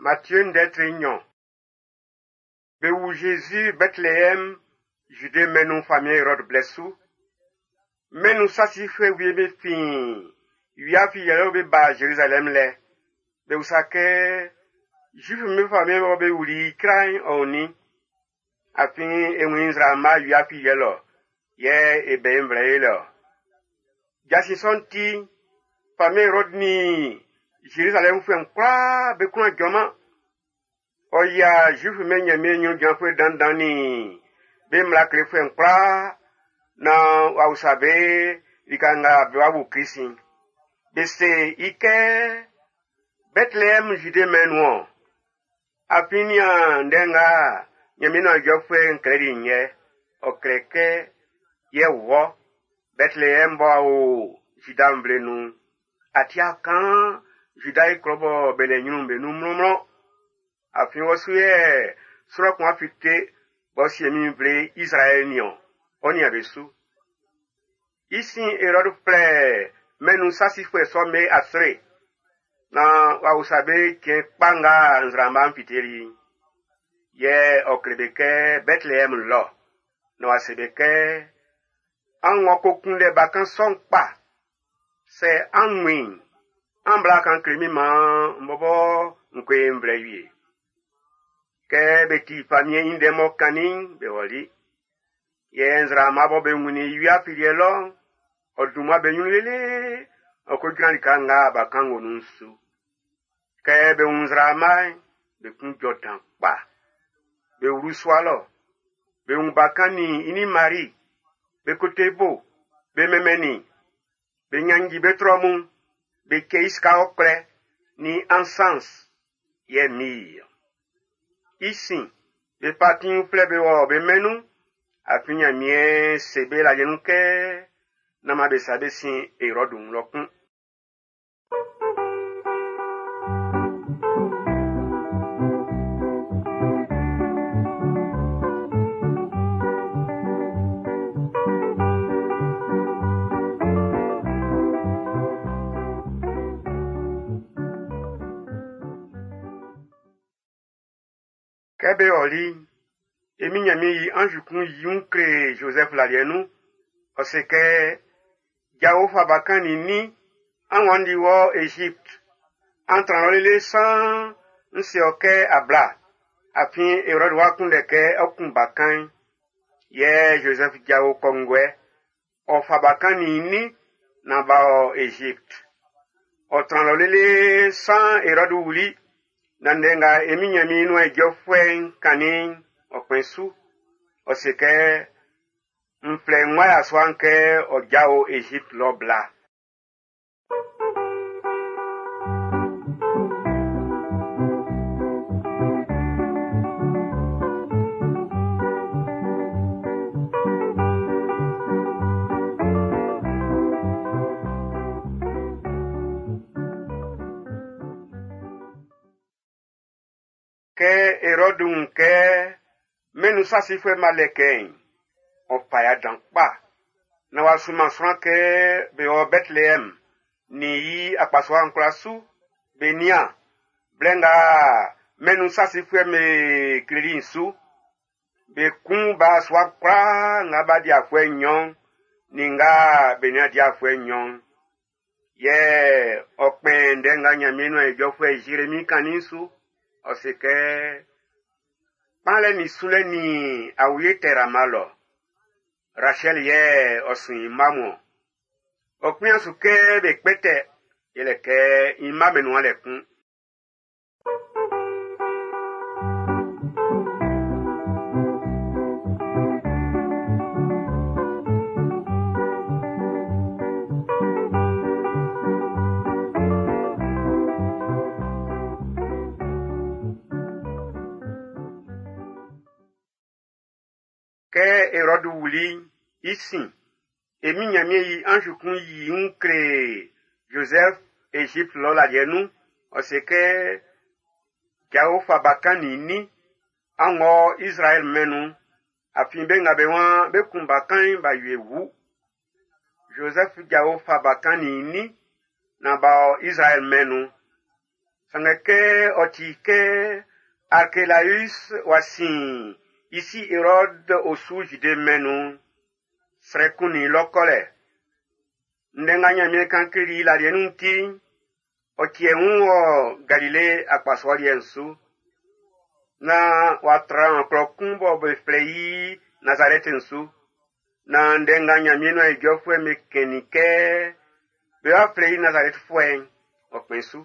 Matthieu ndɛ tre nɲɔn. Be wu Jésus Bethléem, Jude mɛn'n nun famiɛn Hérode blɛ su. Mɛn'n nun sasifuɛ wie be fin wia afiliɛ lɔ be ba Jérusalem lɛ. Be usa kɛ Zuif'm be famiɛn bɔ be wuli i icra'n ɔ o nin? Afin e wun i nzraama wia afiliɛ lɔ, yɛ e bɛ i nvlɛ lɛ-ɔ. Jasin sɔ'n ti, famiɛn Hérode nin Jérusalɛmfuɛ'n kwlaa be kwlá jɔman. Ɔ yia Zuif'm be Ɲanmiɛn ɲrun jranfuɛ dandan nin be mmla klefuɛ'n kwlaa naan w'a usa be lika nga be wa wu Klisi'n. Be se i kɛ Bethléem Jude mɛn'n nun-ɔn. Afin nian ndɛ nga Ɲanmiɛn nuan ijɔfuɛ'n klɛli'n yɛ. Ɔ klɛ kɛ, yɛ wɔ, Bethléem bɔ a o Juda nvle nun'n, a ti a kan Juda i klɔ bɔ be lɛ ɲrun'n be nun mlɔnmlɔn. Afin wɔ su yɛ sran kun fite b'ɔ sie min nvle Izraɛl niɔn, ɔ nian be su. I sin Hérode flɛ mɛn'n nun sasifuɛ sɔ'm be asre naan w'a usa be cɛn kpa nga nzraama'n fiteli'n. Yɛ ɔ kle be kɛ Bethléem lɔ, na w'a se be kɛ, an ng'ɔ ko kunndɛ bakan sɔ'n kpa, sɛ an wun i'n, an bla kan kle min maan n bɔbɔ n ko e nvlɛ wie. Kɛ be ti famiɛn'n i ndɛ m'ɔ kannin'n, be ɔli. Yɛ nzraama bɔ be wunnin i wia afiliɛ lɔ'n, ɔ dun mmua be ɲrun lele, ɔ ko jran lika nga bakan wo nun'n su. Kɛ be wun nzraama'n, be kun jɔ dan kpa. Be wlu sua lɔ. Be wun bakan nin i nin Mari. Be koto i bo, be mɛnmɛn i. Be ɲannji be trɔ mun, be cɛ i sika ɔkwlɛ, nin ansans, yɛ myrrhe. I sin, be fa atin uflɛ be wɔ be mɛn'n nun, afin Ɲanmiɛn se be laliɛ nun kɛ nán man be sa be sin Hérode wun lɔ kun. Kɛ be ɔli'n, e min Ɲanmiɛn i anz kun yi i wun kle Joseph laliɛ nun. Ɔ se kɛ, jao fa bakan nin nin, an wanndi wɔ Égypte. An tran lɔ lele san n se ɔ kɛ a bla, afin Hérode w'a kunndɛ kɛ ɔ kun bakan'n. Yɛ Joseph jao kɔnguɛ, ɔ fa bakan nin nin naan b'a ɔ Égypte. Ɔ tran lɔ lele san Hérode wuli, na ndɛ nga e min Ɲanmiɛn nuan ijɔfuɛ'n kannin'n, ɔ kpɛn su. Ɔ se kɛ, n flɛ n wa yasua'n kɛ ɔ jao Égypte lɔ bla. Kɛ Hérode wun kɛ mɛn'n nun sasifuɛ ma lɛ kɛ'n, ɔ fa ya dan kpa. Na w'a sunman sran kɛ be wɔ Bethléem nin i akpasua'n kwlaa su, be nian blɛ nga mɛn'n nun sasifuɛ'm be kleli'n su. Be kun ba sua kwlaa nga b'a di afuɛ nɲɔn'n nin nga be nin a di afuɛ nɲɔn'n. Yɛ ɔ kpɛn ndɛ nga Ɲanmiɛn nuan ijɔfuɛ Jérémie kannin'n su. Ɔ se kɛ, kpanlɛ nin sulɛ nin awie tɛ Rama lɔ. Rachel yɛ ɔ sun i mma mun-ɔn. Ɔ kpian su kɛ be kpɛtɛ, yɛlɛ kɛ i mma be nuan lɛ kun. Kɛ Hérode wuli'n, i sin, e min Ɲanmiɛn i anz kun yi i wun kle Joseph Égypte lɔ laliɛ nun. Ɔ se kɛ, jao fa bakan nin nin, an wɔ Israël mɛn'n nun, afin be nga be waan be kun bakan'n b'a wie wu. Joseph jao fa bakan nin nin, naan b'a ɔ Israël mɛn'n nun. Sanngɛ kɛ ɔ ti kɛ Arkelaüs wa sin i si Erɔd osu Zide mɛn'n nun'n, srɛ kunnin i lɔ kɔlɛ. Ndɛ nga Ɲanmiɛn kan kleli i laliɛ nun'n ti'n, ɔ tiɛ wun wɔ Galile akpasua liɛ'n su. Naan w'a tran klɔ kun bɔ be flɛ i Nazarɛt'n su. Naan ndɛ nga Ɲanmiɛn nuan ijɔfuɛ'm be kɛnnin kɛ bé wá flɛ́ i Nazarɛtfuɛ'n, ɔ kpɛn su.